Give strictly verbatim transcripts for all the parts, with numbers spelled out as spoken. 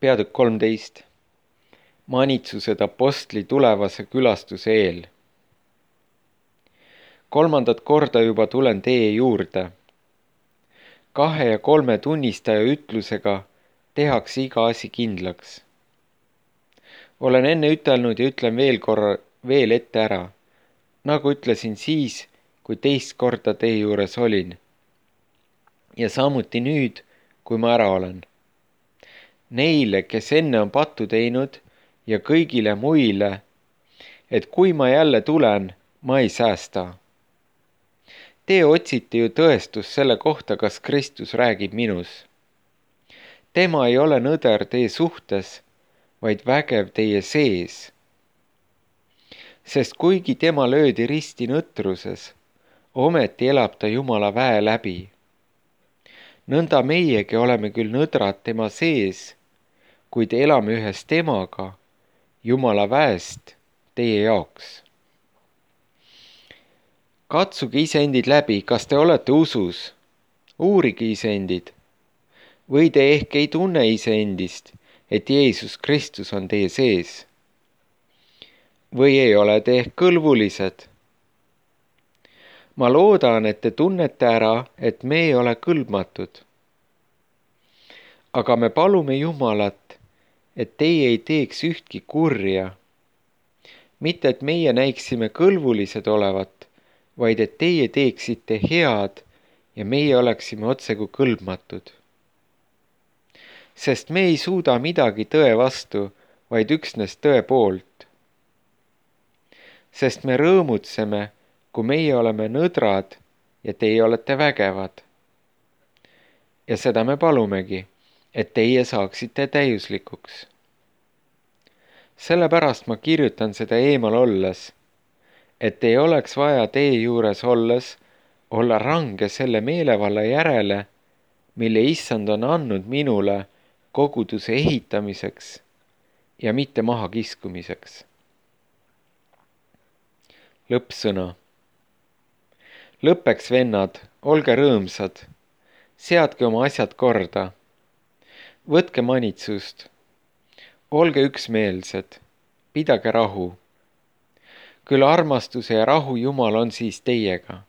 Peatükk kolmteist. Manitsused apostli tulevase külastuse eel. Kolmandat korda juba tulen teie juurde. Kahe ja kolme tunnistaja ütlusega tehakse iga asi kindlaks. Olen enne ütelnud ja ütlen veel korra veel ette ära, nagu ütlesin siis, kui teist korda teie juures olin. Ja samuti nüüd, kui ma ära olen. Neile, kes enne on pattu teinud ja kõigile muile, et kui ma jälle tulen, ma ei säästa. Te otsite ju tõestust selle kohta, kas Kristus räägib minus. Tema ei ole nõder teie suhtes, vaid vägev teie sees. Sest kuigi tema löödi risti nõtruses, ometi elab ta Jumala väe läbi. Nõnda meiegi oleme küll nõdrad tema sees, kuid elame ühes temaga, Jumala väest teie jaoks. Katsuge iseendid läbi, kas te olete usus, uurige iseendid, või te ehk ei tunne iseendist, et Jeesus Kristus on teie sees. Või ei ole te ehk kõlbulised. Ma loodan, et te tunnete ära, et me ei ole kõlbmatud. Aga me palume Jumalat, et teie ei teeks ühtki kurja. Mitte, et meie näiksime kõlbulised olevat, vaid et teie teeksite head ja meie oleksime otsekui kõlbmatud. Sest me ei suuda midagi tõe vastu, vaid üksnes tõe poolt. Sest me rõõmutseme, kui meie oleme nõdrad ja teie olete vägevad. Ja seda me palumegi, et teie saaksite täiuslikuks. Sellepärast ma kirjutan seda eemal olles, et ei oleks vaja teie juures olles olla range selle meelevalla järele, mille Issand on andnud minule koguduse ehitamiseks ja mitte maha kiskumiseks. Lõppsõna. Lõppeks, vennad, olge rõõmsad, seadke oma asjad korda, võtke manitsust, olge üksmeelsed, pidage rahu. Küll armastuse ja rahu Jumal on siis teiega.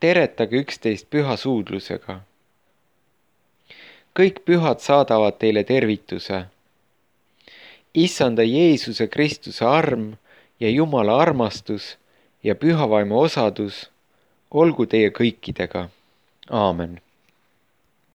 Teretage üksteist püha suudlusega. Kõik pühad saadavad teile tervituse. Issanda Jeesuse Kristuse arm ja Jumala armastus ja pühavaimu osadus olgu teie kõikidega. Aamen.